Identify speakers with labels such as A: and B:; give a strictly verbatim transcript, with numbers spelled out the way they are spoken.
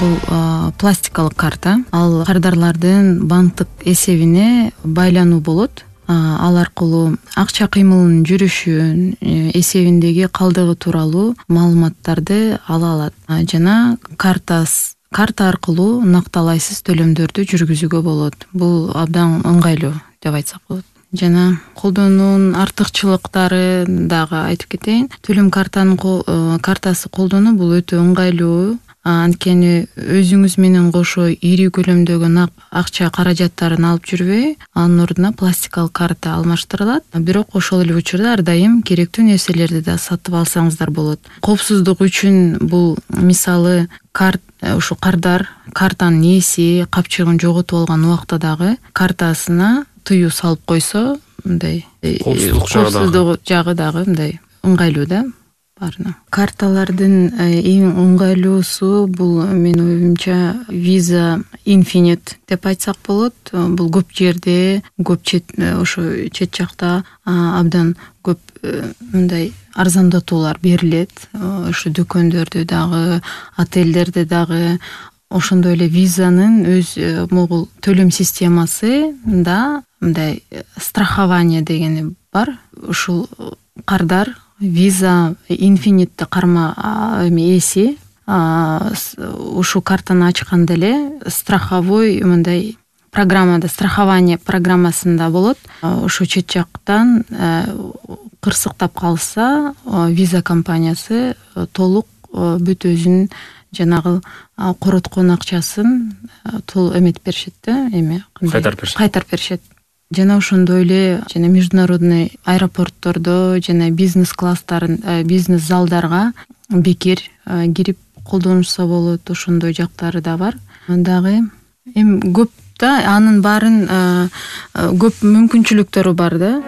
A: бул пластикалык карта. Ал кардарлардын банктык эсебине байлануу болот. Ал аркылуу акча кыймылынын жүрүшүн, эсебиндеги калдыгы тууралуу маалыматтарды ала алат жана картасы карта аркылуу накталайсыз төлөмдөрдү жүргүзүүгө болот. Бул абдан ыңгайлуу деп айтсак болот. Жана колдонуунун артыкчылыктары дагы айтып кетейин. Төлөм картанын картасы колдонуу бул өтө ыңгайлуу. Анткени өзүңүз менен кошо ири көлөмдөгү акча каражаттарын алып жүрбөй, анын ордуна пластикалык карта алмаштырылат. Бирок ошол эле учурда ар дайым керектүү нерселерди да сатып алсаңыздар болот. Коопсуздук үчүн бул мисалы карт ушу кардар картанын ээси капчыгын жоготуп алган убакта дагы картасына тыюу салып койсо, мындай коопсуздук жагы дагы мындай ыңгайлуу да баарына. Карталардын эң ыңгайлуусу бул менин оюмча Visa Infinite деп айтсак болот. Бул көп жерде, көп чет ошо чет жакта абдан көп мындай арзандатуулар берилет. Ошо дүкөндөрдө дагы, отелдерде дагы. Ошондой эле Visa'нын өз могул төлөм системасы да мындай страхование дегени бар. Ушул кардар Visa Infinite карма ээси ушу картаны ачканда эле страховой мындай программада, страхование программасында болот. Ошо чет жактан кырсыктап калса, Visa компаниясы толук бүт өзүнүн жанагы короткон акчасын толук эметип беришет да, эме кайтарып беришет. Кайтарып беришет. Жана ошондой эле жана международный аэропорттордо жана бизнес класстарын, бизнес залдарга бекер кирип колдонушса болот. Ошондой жактары да бар. Дагы эми көп да, анын баарын көп мүмкүнчүлүктөрү бар да.